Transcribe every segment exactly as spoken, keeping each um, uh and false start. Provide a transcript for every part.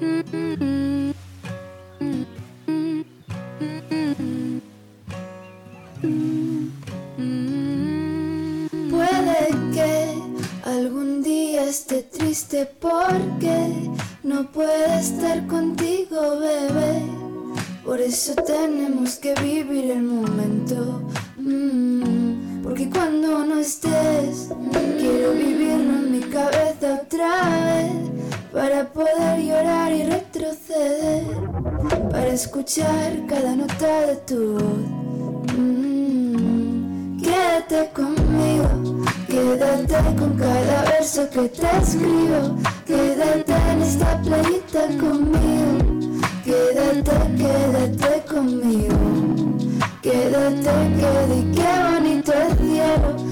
Puede que algún día esté triste porque no puede estar contigo, bebé. Por eso tenemos que vivir el momento. Mm, porque cuando no estés, quiero vivirlo en mi cabeza otra vez. Para poder llorar y retroceder, para escuchar cada nota de tu voz. Mm, quédate conmigo, quédate con cada verso que te escribo. Quédate en esta playita conmigo. Quédate, quédate conmigo. Quédate, quédate, qué bonito el cielo.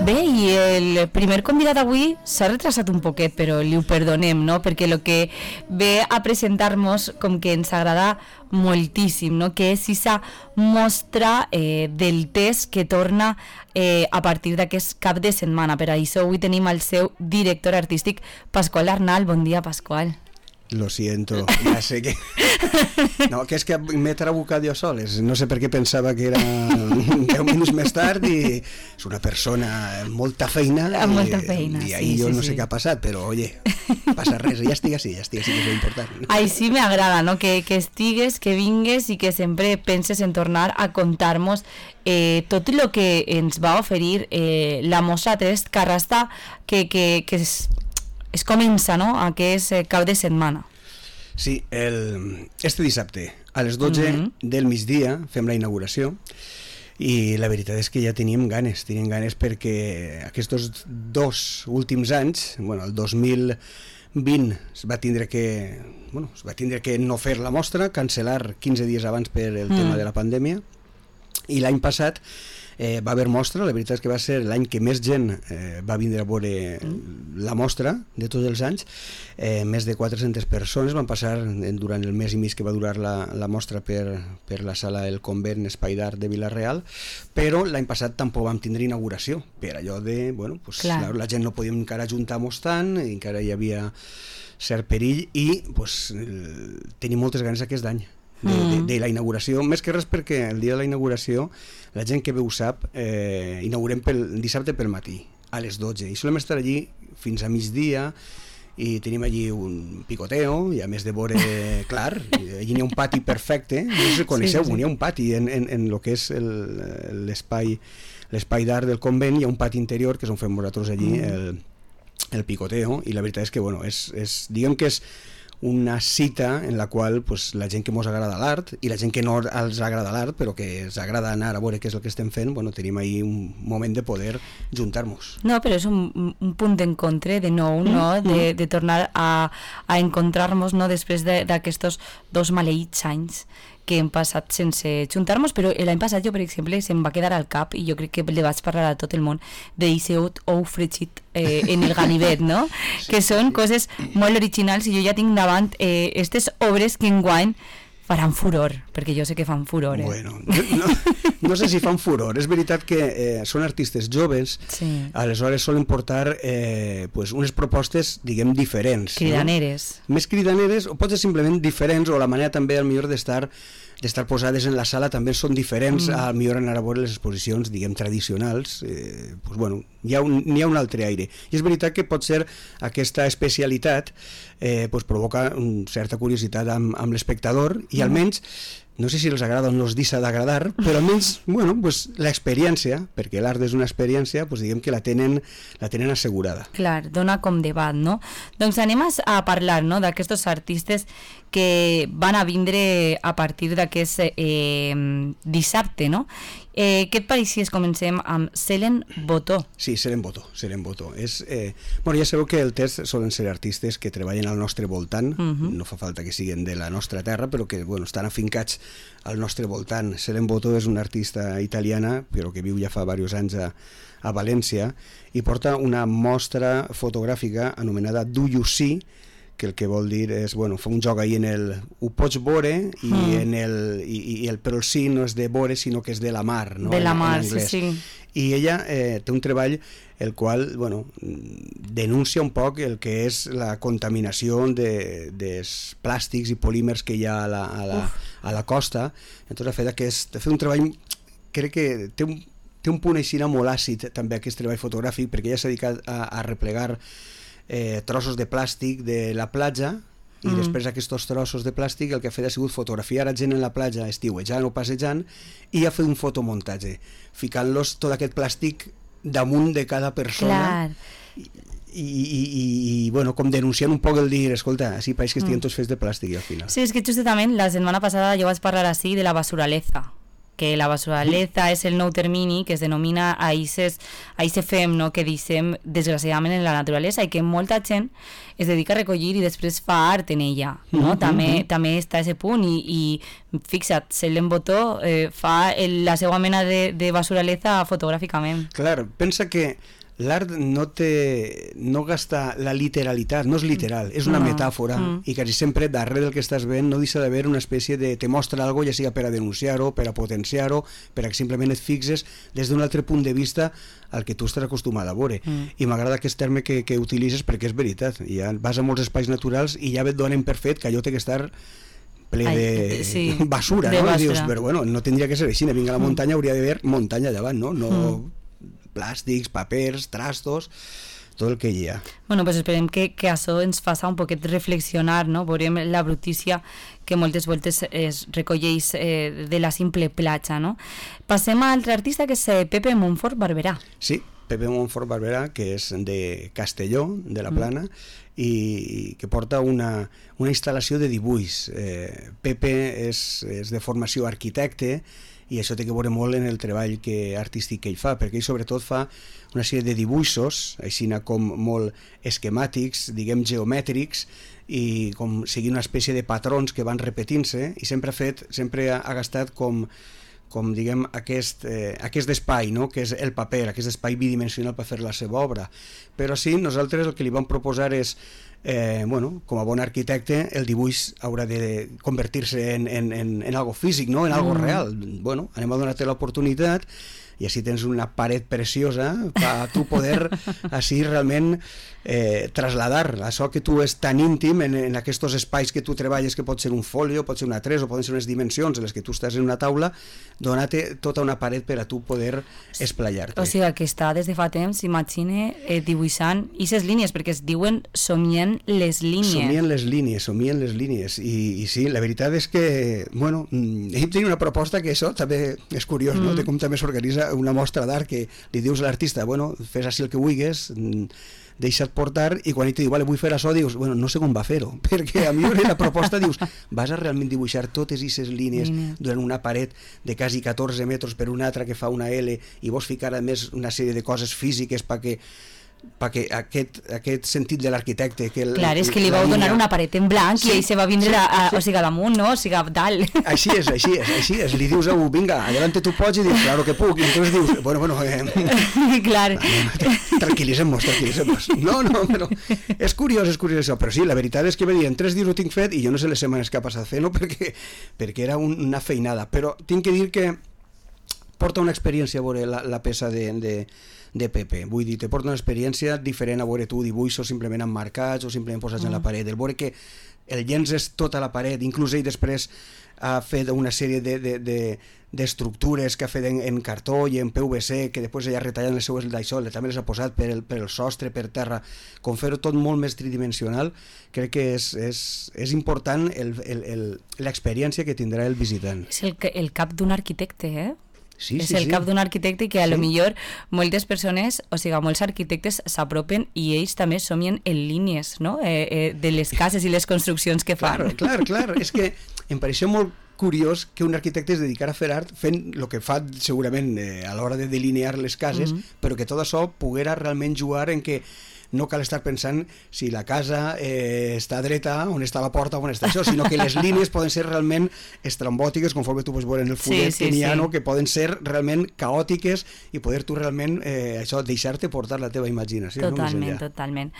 Bé, i el primer convidat avui s'ha retrasat un poquet, però li ho perdonem, no? Perquè el que ve a presentar-nos com que ens agrada moltíssim, no? Que és esa mostra eh, del test que torna eh, a partir d'aquest cap de setmana. Per això avui tenim el seu director artístic, Pasqual Arnal. Bon dia, Pasqual. Lo siento, ya sé que... No, que és que m'he trabucat jo sol, no sé per què pensava que era deu minuts més tard i és una persona amb molta feina amb molta feina, i ahí sí, jo sí, no sé sí. què ha passat, però oye, passa res, ja estic així, ja estic així, que és important. Ai, sí m'agrada, no? Que, que estigues, que vingues i que sempre penses en tornar a contar-nos eh, tot el que ens va oferir eh, la mostra Test Carrasta que, que, que es, es comença, no? Aquest eh, cap de setmana. Sí, el, este dissabte a les dotze mm-hmm. del migdia fem la inauguració i la veritat és que ja teníem ganes, teníem ganes perquè aquests dos últims anys, bueno, el dos mil vint es va tindre que, bueno, es va tindre que no fer la mostra, cancel·lar quinze dies abans per el mm. tema de la pandèmia, i l'any passat eh, va haver mostra, la veritat és que va ser l'any que més gent eh, va vindre a veure la mostra de tots els anys, eh, més de quatre-centes persones van passar durant el mes i mig que va durar la, la mostra per, per la sala El Convent Espai d'Art de Vila-real, però l'any passat tampoc vam tindre inauguració, per allò de, bueno, pues, la, la gent no podíem encara ajuntar-nos tant, encara hi havia cert perill i pues, el, tenim moltes ganes aquest any. De, de, de la inauguració, més que res perquè el dia de la inauguració la gent que bé ho sap, eh, inaugurem pel dissabte pel matí a les dotze i solem estar allí fins a migdia i tenim allí un picoteo i a més de veure, clar, allí n'hi ha un pati perfecte, no sé si coneixeu, sí, sí. N'hi ha un pati en, en, en el que és el, l'espai l'espai d'art del convent, hi ha un pati interior que és on fem nosaltres allí mm. el, el picoteo i la veritat és que bueno, és, és, diguem que és una cita en la qual pues, la gent que ens agrada l'art i la gent que no els agrada l'art però que ens agrada anar a veure què és el que estem fent, bueno, tenim ahí un moment de poder juntar-nos. No, però és un, un punt d'encontre de nou, no? de, de tornar a, a encontrar-nos, no? Després d'aquests dos maleïts anys que hem passat sense juntar-nos, però l'any passat jo, per exemple, se'm va quedar al cap i jo crec que le vaig parlar a tot el món d'Iseut ou fregit eh, en el ganivet, no? Sí, que són sí. Coses molt originals i jo ja tinc davant eh, aquestes obres que enguany faran furor, perquè jo sé que fan furor. Eh? Bueno, no, no sé si fan furor, és veritat que eh, són artistes joves, sí. Aleshores solen portar eh, pues unes propostes, diguem, diferents. Cridaneres. No? Més cridaneres, o pot ser simplement diferents, o la manera també, al millor, d'estar d'estar posades en la sala també són diferents, mm. al millor anar a veure les exposicions, diguem, tradicionals, eh, pues, bueno, hi ha, un, hi ha un altre aire. I és veritat que pot ser aquesta especialitat eh, pues, provoca una certa curiositat amb, amb l'espectador i almenys, no sé si els agrada o no els deixa d'agradar, però almenys, bueno, pues, l'experiència, perquè l'art és una experiència, pues, diguem que la tenen, la tenen assegurada. Clar, dona com debat, no? Doncs anem a parlar, no?, d'aquests artistes que van a vindre a partir d'aquest eh, dissabte, no? Eh, què et pareix si comencem amb Selen Botó? Sí, Selen Botó, Selen Botó. És, eh, bueno, ja sabeu que el test solen ser artistes que treballen al nostre voltant, uh-huh. No fa falta que siguin de la nostra terra, però que bueno, estan afincats al nostre voltant. Selen Botó és una artista italiana, però que viu ja fa diversos anys a, a València, i porta una mostra fotogràfica anomenada Do You See, que el que vol dir és, bueno, fa un joc ahí en el ho pots veure i, mm. en el, i, i el, però el sí no és de veure sinó que és de la mar, no? De la mar, en, en sí, sí. I ella eh, té un treball el qual, bueno, denuncia un poc el que és la contaminació de, dels plàstics i polímers que hi ha a la, a la, a la costa. Entonces ha fet, aquest, ha fet un treball, crec que té un, té un punt així molt àcid també aquest treball fotogràfic, perquè ella s'ha dedicat a, a replegar eh, trossos de plàstic de la platja i mm. després aquests trossos de plàstic el que ha fet ha sigut fotografiar a gent en la platja estiuejant o passejant i ha fet un fotomuntatge ficant-los tot aquest plàstic damunt de cada persona i, i, i, i bueno, com denunciant un poc el dir, escolta, així pareix que estiguen tots fets de plàstic i al final. Sí, és que justament la setmana passada jo vaig parlar així de la basuraleza, que la basuraleza és el nou termini que es denomina a aquest fem, no?, que deixem desgraciadament en la naturalesa i que molta gent es dedica a recollir i després fa art en ella, no? Mm-hmm. També, també està a aquest punt i, i fixa't, Selene Botó eh, fa el, la seva mena de, de basuraleza fotogràficament. Clar, pensa que l'art no té, no gasta la literalitat, no és literal, és una no. metàfora mm. i quasi sempre darrere del que estàs veient no deixa d'haver una espècie de, te mostra algo, ja sigui per a denunciar-ho, per a potenciar-ho, per a que simplement et fixes des d'un altre punt de vista al que tu estàs acostumat a veure. Mm. I m'agrada aquest terme que, que utilitzes perquè és veritat, ja vas a molts espais naturals i ja et donen per fet que allò té que estar ple de Ai, sí, basura, de no? Basura. I dius, però bueno, no tindria que ser així, vinga a la muntanya, hauria d'haver muntanya davant, no? No... Mm. plàstics, papers, trastos, tot el que hi ha. Bueno, pues esperem que, que això ens faça un poquet reflexionar, no? Veurem la brutícia que moltes voltes es recolleix eh, de la simple platja, no? Passem a altre artista que és Pepe Montfort Barberà. Sí, Pepe Montfort Barberà, que és de Castelló, de la Plana, mm. i que porta una, una instal·lació de dibuix. Eh, Pepe és, és de formació arquitecte, i això té que veure molt en el treball que, artístic que ell fa, perquè ell sobretot fa una sèrie de dibuixos, així com molt esquemàtics, diguem geomètrics, i com seguint una espècie de patrons que van repetint-se, i sempre ha fet, sempre ha, ha gastat com, com diguem, aquest, eh, aquest espai, no?, que és el paper, aquest espai bidimensional per fer la seva obra. Però sí, nosaltres el que li vam proposar és Eh, bueno, com a bon arquitecte el dibuix haurà de convertir-se en, en, en, en algo físic, no? En algo mm. real. Bueno, anem a donar-te l'oportunitat i així tens una paret preciosa per tu poder així realment eh, trasladar això que tu és tan íntim en, en aquests espais que tu treballes, que pot ser un folio, pot ser una tres o poden ser unes dimensions en les que tu estàs en una taula, donar-te tota una paret per a tu poder esplayar-te. O sigui que està des de fa temps, imagine, eh, dibuixant aquestes línies, perquè es diuen somient les línies. Somien les línies, somien les línies. I, i sí, la veritat és que, bueno, ell tenia una proposta que això també és curiós, mm. no?, de com també s'organitza una mostra d'art que li dius a l'artista, bueno, fes així el que vulguis, deixa't portar, i quan ell te diu, vale, vull fer això, dius, bueno, no sé com va fer-ho, perquè a mi la proposta dius, vas a realment dibuixar totes aquestes línies Línia. durant una paret de quasi catorze metres per una altra que fa una L, i vols ficar a més una sèrie de coses físiques perquè perquè aquest, aquest sentit de l'arquitecte que el, clar, és que li vau donar una paret en blanc sí, i ell se va vindre sí, a, a, sí. o sigui, a damunt, no? O sigui, a dalt. Així és, així és, així és. Li dius a un, vinga, adelante tu pots, i dius, claro que puc, i entonces dius, bueno, bueno, eh, clar. tranquil·litzem-nos, tranquil·litzem-nos. No, no, però és curiós, és curiós això, però sí, la veritat és que me diuen, tres dies ho tinc fet, i jo no sé les setmanes que ha passat fent-ho, perquè, perquè era un, una feinada, però tinc que dir que porta una experiència a veure la, la peça de, de de Pepe, vull dir, te porta una experiència diferent a veure tu dibuixos simplement emmarcats o simplement posats mm. en la paret, el veure que el llences tota la paret, inclús ell després ha fet una sèrie de, de, de, d'estructures que ha fet en, en cartó i en P V C, que després ella ha retallat les seues d'això, també les ha posat per el, per el sostre, per terra, com fer-ho tot molt més tridimensional. Crec que és, és, és important l'experiència que tindrà el visitant. És el, el cap d'un arquitecte, eh? Sí, és sí, el sí. cap d'un arquitecte que a sí. lo millor moltes persones, o sigui, molts arquitectes s'apropen i ells també somien en línies, no?, eh, eh, de les cases i les construccions que fan. Clar, clar, clar. És que em pareixia molt curiós que un arquitecte es dedicara a fer art fent el que fa segurament eh, a l'hora de delinear les cases, mm-hmm. però que tot això poguera realment jugar en que no cal estar pensant si la casa eh, està dreta, on està la porta, on està això, sinó que les línies poden ser realment estrambòtiques, conforme tu pots veure en el fullet sí, sí, que n'hi ha, sí. no? Que poden ser realment caòtiques i poder tu realment eh, això, deixar-te portar la teva imaginació. Totalment, no? totalment.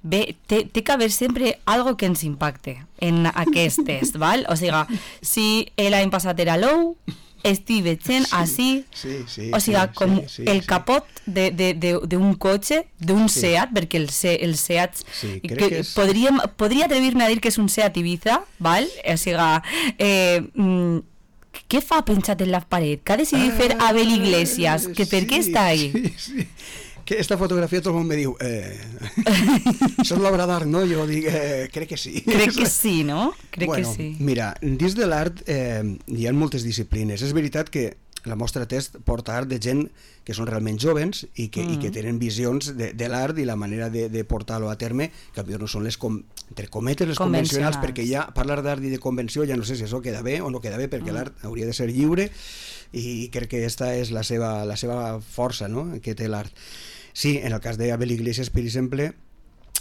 Bé, té, té que haver sempre algo que ens impacte en aquest test, val? O sigui, si l'any passat era l'ou, estic veient sí, així, sí, sí, o sigui, sí, com sí, sí, el sí. capot d'un cotxe, d'un Sí. Seat, perquè el, Se, el Seat, Sí, crec que que és- podríem, podria atrevir-me a dir que és un Seat Ibiza, val? O sigui, eh, mm, què fa penjat en la paret? Que ha decidit fer Abel Iglesias? Que per què està ahí? Sí, sí. Que esta fotografia tot el món me diu eh, això és l'obra d'art, no? Jo dic, eh, crec que sí. Crec que sí, no? Crec bueno, que sí. Mira, dins de l'art eh, hi ha moltes disciplines. És veritat que la mostra test porta art de gent que són realment jovens i que, mm. i que tenen visions de, de l'art i la manera de, de portar-lo a terme, que no són les, com, entre cometes, les convencionals, perquè ja parlar d'art i de convenció ja no sé si això queda bé o no queda bé, perquè mm. l'art hauria de ser lliure i crec que aquesta és la seva, la seva força, no?, que té l'art. Sí, en el cas d'Abel Iglesias, per exemple,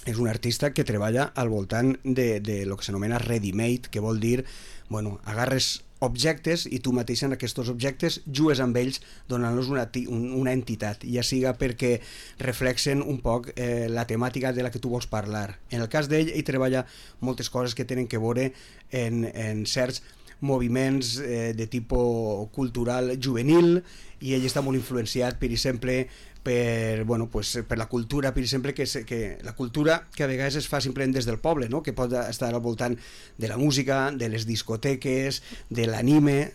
és un artista que treballa al voltant de, de lo que s'anomena ready-made, que vol dir, bueno, agarres objectes i tu mateix en aquests objectes jugues amb ells donant-los una, una entitat, ja siga perquè reflexen un poc eh, la temàtica de la que tu vols parlar. En el cas d'ell, ell treballa moltes coses que tenen que veure en, en certs moviments eh, de tipus cultural juvenil, i ell està molt influenciat, per exemple, per, bueno, pues, per la cultura, per exemple, que, que la cultura que a vegades es fa simplement des del poble, no? Que pot estar al voltant de la música, de les discoteques, de l'anime.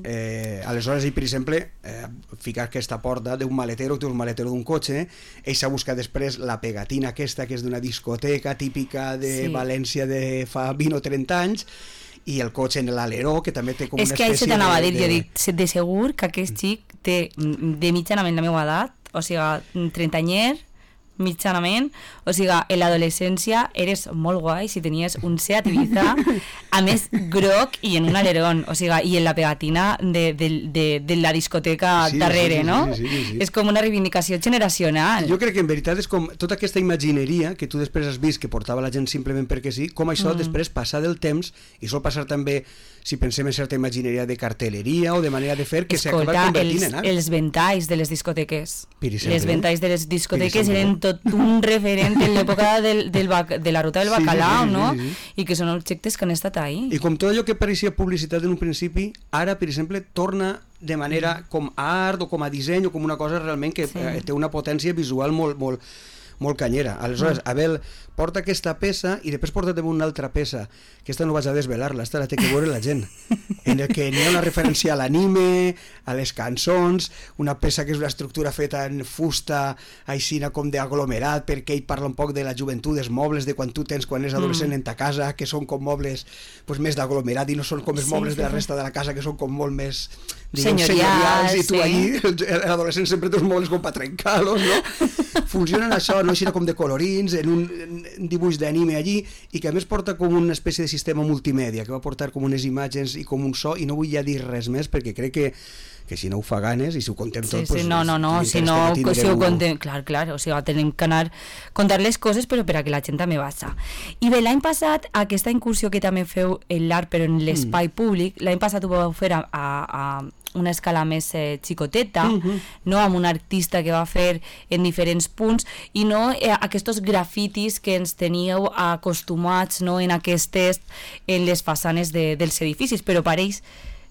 Eh, aleshores ell, per exemple, eh, ficar aquesta porta d'un maletero, que té un maletero d'un cotxe, ell s'ha buscat després la pegatina aquesta, que és d'una discoteca típica de sí. València de fa vint o trenta anys, i el cotxe en l'aleró, que també té com és una espècie... És que ell se t'anava a dir, de... jo dic, de segur que aquest xic té de mitjanament la meva edat, o sigui, trenta'nyer, mitjanament, o sigui, en l'adolescència eres molt guai si tenies un Seat Ibiza, a més groc i en un alerón, o sigui, i en la pegatina de, de, de, de la discoteca sí, darrere, sí, sí, no? Sí, sí, sí, sí. És com una reivindicació generacional. Jo crec que en veritat és com tota aquesta imagineria que tu després has vist que portava la gent simplement perquè sí, com això mm. després passar del temps, i sol passar també si pensem en certa imagineria de cartelleria o de manera de fer, que s'ha acabat convertint en art. Els ventalls de les discoteques. Exemple, les ventalls de les discoteques eren tot un referent en l'època del, del, de la ruta del bacalao, sí, sí, sí, no? Sí, sí, sí. I que són objectes que han estat ahí. I com tot allò que pareixia publicitat en un principi, ara, per exemple, torna de manera com a art o com a disseny o com una cosa realment que sí. eh, té una potència visual molt, molt, molt canyera. Aleshores, Abel porta aquesta peça i després porta també una altra peça, que aquesta no vaig a desvelar-la, aquesta la té que veure la gent, en el que n'hi ha una referència a l'anime, a les cançons, una peça que és una estructura feta en fusta, aixina com d'aglomerat, perquè ell parla un poc de la joventut, dels mobles, de quan tu tens quan és adolescent mm. en ta casa, que són com mobles pues, més d'aglomerat i no són com els sí, mobles sí, de la resta de la casa, que són com molt més diguem, senyorials, i tu sí. allí, l'adolescent sempre té uns mobles com per trencar-los, no? Funcionen això, no? Així com de colorins, en un, un dibuix d'anime allí, i que a més porta com una espècie de sistema multimèdia, que va portar com unes imatges i com un so, i no vull ja dir res més, perquè crec que que si no ho fa ganes i si ho contem tot... Sí, sí, pues, no, no, no, si no, si ho contem... Clar, clar, o sigui, tenim que anar contar les coses, però per a que la gent també baixa. I bé, l'any passat, aquesta incursió que també feu en l'art, però en l'espai mm. públic, l'any passat ho vau fer a, a, a una escala més eh, xicoteta, mm-hmm. no, amb un artista que va fer en diferents punts, i no eh, aquests grafitis que ens teníeu acostumats, no, en aquestes, en les façanes de, dels edificis, però pareix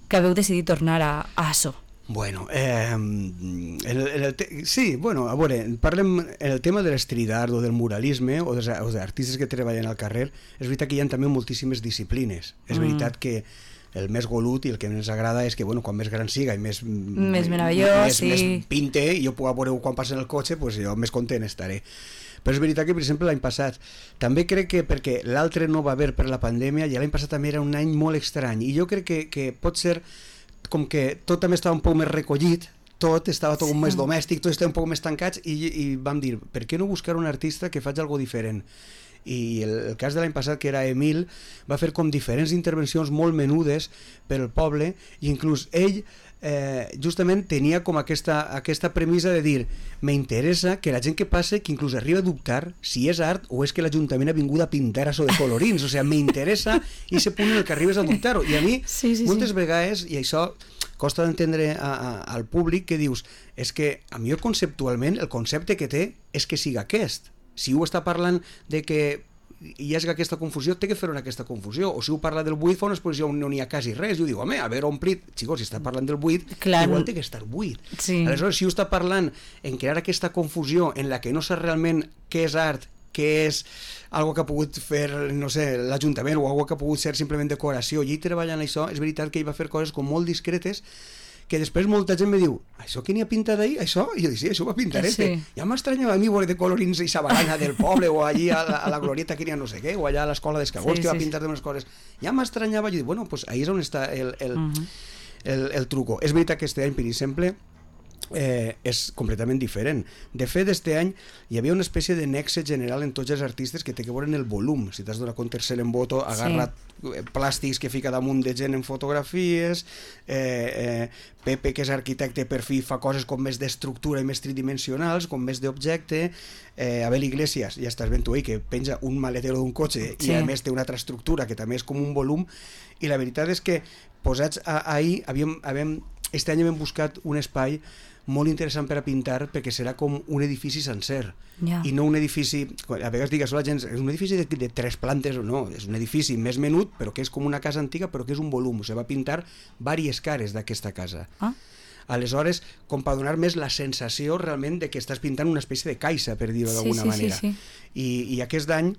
que haveu decidit tornar a, a això. Bueno, eh, en el, en el te... sí, bueno, a veure, parlem en el tema de l'street art o del muralisme o dels, o dels artistes que treballen al carrer. És veritat que hi ha també moltíssimes disciplines. És mm. veritat que el més golut i el que més agrada és que, bueno, quan més gran siga i més... Més meravellós, més, sí. Més pinte i jo puc veure quan passa en el cotxe, pues jo més content estaré. Però és veritat que, per exemple, l'any passat també crec que perquè l'altre no va haver per la pandèmia, i l'any passat també era un any molt estrany, i jo crec que, que pot ser com que tot també estava un poc més recollit, tot estava tot sí. més domèstic, tot estava un poc més tancats, i, i vam dir, per què no buscar un artista que faci alguna diferent? I el, el cas de l'any passat, que era Emil, va fer com diferents intervencions molt menudes per al poble, i inclús ell eh, justament tenia com aquesta, aquesta premissa de dir, m'interessa que la gent que passe, que inclús arriba a dubtar si és art o és que l'Ajuntament ha vingut a pintar això de colorins, o sigui, m'interessa i se punt en el que arribes a dubtar-ho, i a mi sí, sí, moltes sí. vegades, i això costa d'entendre a, a, al públic, que dius, és que a mi conceptualment el concepte que té és que siga aquest. Si ho està parlant de que hi ha aquesta confusió, té que fer una aquesta confusió, o si ho parla del buit fa una exposició on no n'hi ha quasi res, i ho diu, home, haver omplit, xicos, si està parlant del buit, Clar. igual té que estar buit. Sí. Aleshores, si ho està parlant en crear aquesta confusió en la que no saps realment què és art, què és algo que ha pogut fer, no sé, l'Ajuntament, o algo que ha pogut ser simplement decoració, i ell treballant això, és veritat que ell va fer coses com molt discretes, que després molta gent me diu, això que n'hi ha pintat ahir, això? I jo dic, sí, això va pintar Sí. este. Ja m'estranyava a mi veure de colorins i sabarana del poble, o allí a la, a la glorieta que n'hi ha no sé què, o allà a l'escola d'Escagós, Sí, que va sí, pintar d'unes coses. Ja m'estranyava, jo dic, bueno, pues ahí és on està el, el, Uh -huh. el, el truco. És veritat que este any, per exemple, eh, és completament diferent. De fet, este any hi havia una espècie de nexe general en tots els artistes que té que veure en el volum. Si t'has donat compte, el Selemboto ha agarrat sí. plàstics que fica damunt de gent en fotografies, eh, eh, Pepe, que és arquitecte, per fi fa coses com més d'estructura i més tridimensionals, com més d'objecte, eh, Abel Iglesias, ja estàs ben tu ahí, que penja un maletero d'un cotxe sí. i a més té una altra estructura que també és com un volum, i la veritat és que posats a, ahir, havíem, havíem, este any hem buscat un espai molt interessant per a pintar, perquè serà com un edifici sencer, yeah. i no un edifici, a vegades digues la gent, és un edifici de, de tres plantes o no, és un edifici més menut, però que és com una casa antiga, però que és un volum, o sigui, va pintar diverses cares d'aquesta casa. Ah. Aleshores, com per donar més la sensació realment de que estàs pintant una espècie de caixa, per dir-ho d'alguna sí, sí, manera. Sí, sí. I, i aquest any,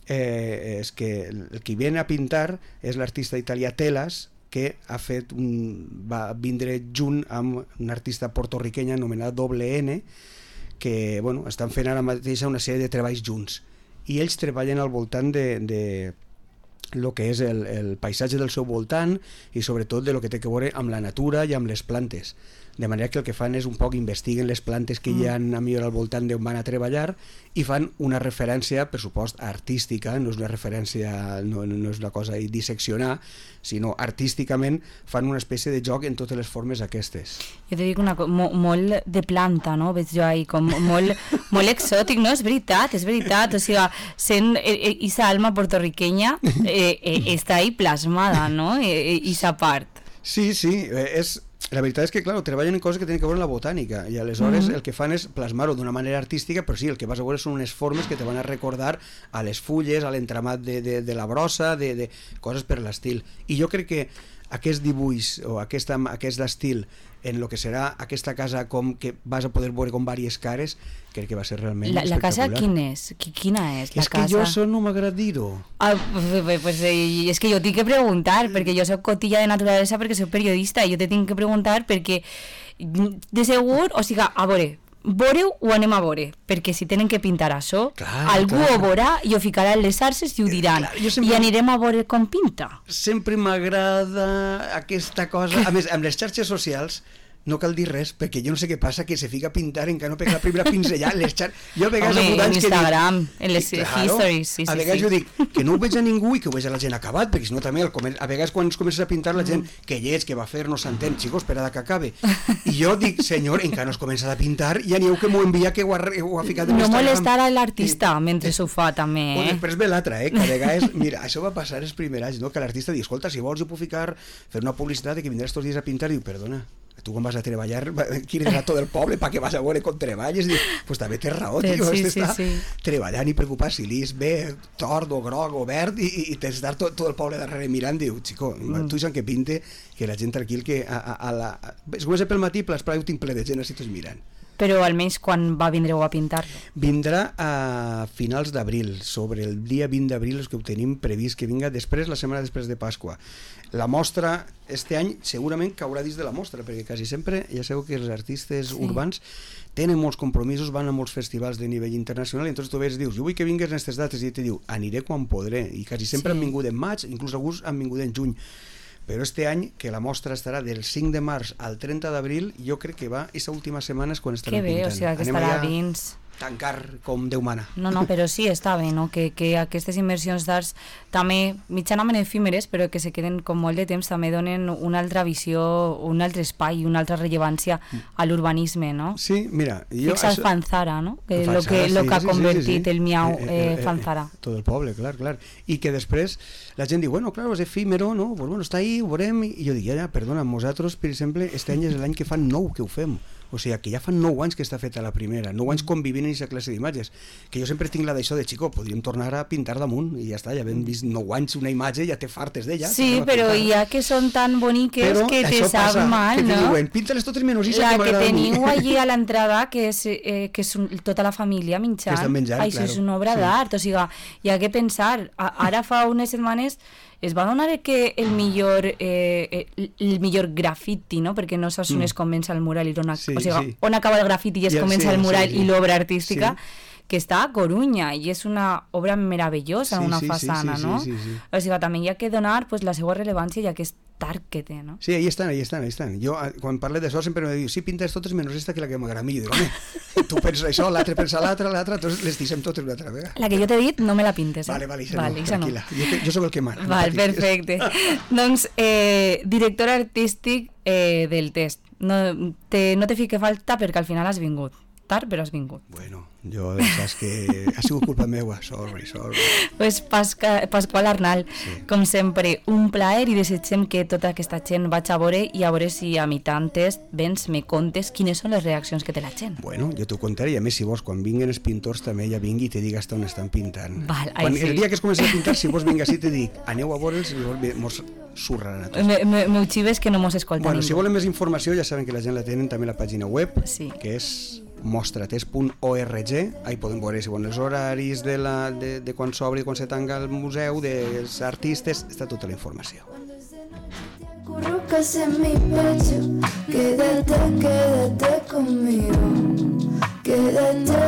eh, és que el que viene a pintar és l'artista italià Telas, que ha fet un, va vindre junt amb un artista portorriquenya anomenat Doble N, que bueno, estan fent ara mateix una sèrie de treballs junts, i ells treballen al voltant de, de el que és el, el paisatge del seu voltant, i sobretot de lo que té que veure amb la natura i amb les plantes, de manera que el que fan és un poc investiguen les plantes que mm. hi ha a millor al voltant d'on van a treballar, i fan una referència, per supost, artística, no és una referència, no, no és una cosa a disseccionar, sinó artísticament fan una espècie de joc en totes les formes aquestes. Jo te dic una cosa, mo, molt de planta, no? Veig jo ahí, com molt, molt exòtic, no? És veritat, és veritat, o sigui, sent esa alma portorriqueña eh, eh, està ahí plasmada, no? Eh, esa part. Sí, sí, és... La veritat és que, clar, treballen en coses que tenen que veure amb la botànica, i aleshores mm-hmm. el que fan és plasmar-ho d'una manera artística, però sí, el que vas a veure són unes formes que te van a recordar a les fulles, a l'entramat de, de, de la brossa, de, de coses per l'estil. I jo crec que aquest dibuix o aquest, aquest estil en el que serà aquesta casa com que vas a poder veure com diverses cares, crec que va ser realment la, la espectacular. casa quina és? Quina és la és casa? que jo això no m'agrada dir-ho. Ah, pues, pues, eh, és que jo tinc que preguntar, perquè jo soc cotilla de naturalesa, perquè soc periodista, i jo te tinc que preguntar perquè de segur, o sigui, a veure, veure-ho o anem a veure, perquè si tenen que pintar això, clar, algú clar. ho veurà i ho ficarà en les arces i ho diran, clar, sempre... i anirem a veure com pinta. Sempre m'agrada aquesta cosa, a més, amb les xarxes socials no cal dir res, perquè jo no sé què passa, que se fica a pintar encara no pega la primera pinzellada en les xarxes. Jo a vegades Home, en Instagram, dic, en les claro, histories, sí, sí, a vegades sí. jo dic que no ho veig a ningú i que ho veig a la gent acabat, perquè si no també el comer... a vegades quan es comences a pintar la gent mm. que lleig, que va fer, no s'entén, xicos, esperada que acabe. I jo dic, senyor, encara no es comença a pintar, ja n'hi heu que m'ho envia, que ho ha, ho ha ficat en no Instagram. molestar a l'artista I, mentre s'ho fa també, eh? O després ve l'altra, eh? Que a vegades, mira, això va passar els primers anys, no? Que l'artista diu, escolta, si vols jo puc ficar, fer una publicitat de que vindràs tots dies a pintar, i diu, perdona, tu quan vas a treballar, quieres a tot el poble perquè vas a veure com treballes, i dius, pues també tens raó, tio, sí, este sí, està sí. treballant i preocupat si l'is ve tord o groc o verd, i, i tens d'estar tot, tot el poble darrere mirant, diu, xico, mm. tu deixa'm que pinte, que la gent tranquil, que a, a, a la... es comença pel matí, però l'espai ho tinc ple de gent, així tots mirant. Però almenys quan va vindreu a pintar-lo? Vindrà a finals d'abril, sobre el dia vint d'abril és que ho tenim previst que vinga després, la setmana després de Pasqua. La mostra, este any, segurament caurà dins de la mostra, perquè quasi sempre, ja sabeu que els artistes sí. urbans tenen molts compromisos, van a molts festivals de nivell internacional, i entonces tu ves, dius, jo vull que vingues en aquestes dates, i te diu, aniré quan podré, i quasi sempre sí. han vingut en maig, inclús alguns han vingut en juny. Però este any, que la mostra estarà del cinc de març al trenta d'abril, jo crec que va, aquesta última setmana és quan estarà pintant. Que bé, pintant. o sigui, que Anem estarà allà... dins. tancar com Déu mana. No, no, però sí, està bé, no? Que, que aquestes immersions d'arts també, mitjanament efímeres, però que se queden com molt de temps, també donen una altra visió, un altre espai, una altra rellevància a l'urbanisme, no? Sí, mira... Jo, Fixa el això... Fanzara, no? Que Fanzara, lo que, lo sí, que ha sí, convertit sí, sí, sí. el miau eh, eh, eh, Fanzara. Eh, tot el poble, clar, clar. I que després la gent diu, bueno, claro, és efímero, no? Pues bueno, està ahí, ho veurem, i jo dic, ja, ja, perdona, nosaltres, per exemple, este any és l'any que fan nou que ho fem. O sigui, que ja fa nou anys que està feta la primera, nou anys convivint en aquesta classe d'imatges, que jo sempre tinc la d'això de, xico, podríem tornar a pintar damunt, i ja està, ja hem vist nou anys una imatge, ja te fartes d'ella. Sí, però ja que són tan boniques però que te sap passa, mal, que no? Diuen, pínta-les totes menys la que que teniu a allí a l'entrada, que és, eh, que és un, tota la família menjant, menjant això claro. és una obra sí. d'art, o sigui, hi ha que pensar, a, ara fa unes setmanes es va donar que el millor eh, el millor grafiti, no? Perquè no saps on es comença el mural i on, sí, o sigui, sí. on acaba el grafiti i es I el, comença sí, el mural sí, sí. i l'obra artística, sí. que està a Corunya i és una obra meravellosa, sí, una sí, façana, sí, sí, no? sí, sí, sí. O sigui, també hi ha que donar pues, la seva rellevància i aquest art que té, no? Sí, ahí estan, ahí estan, ahí estan. Jo, quan parle d'això, sempre me diu, sí, pintes totes menys esta que la que m'agrada a mi. I dic, home, tu penses això, l'altre pensa l'altre, l'altre, tots les dissem totes una altra vegada. La que jo t'he dit, no me la pintes, eh? Vale, vale, això vale, no, tranquil·la. No. Jo, jo sóc el que mana. Val, no perfecte. Doncs, eh, director artístic eh, del test. No te, no te fique falta perquè al final has vingut. Tard, però has vingut. Bueno, jo saps que ha sigut culpa meua, sorry, sorry. Pues Pasca, Pasqual Arnal, sí. Com sempre, un plaer i desitgem que tota aquesta gent vaig a veure i a veure si a mitjan test vens, me contes quines són les reaccions que té la gent. Bueno, jo t'ho contaré i a més si vols, quan vinguen els pintors també ja vingui i te diga hasta on estan pintant. Val, quan, sí. El dia que es comenci a pintar, si vols vinga així te dic, aneu a veure'ls i mos surraran a tots. Me, me, me xives que no mos escolta bueno, ningú. Si volen més informació ja saben que la gent la tenen també a la pàgina web, sí. que és mostratest punt org, ahí podem veure si volen els horaris de, la, de, de quan s'obre i quan se tanca el museu, dels artistes, està tota la informació. Acurrucas en mi pecho, quédate, quédate conmigo, quédate.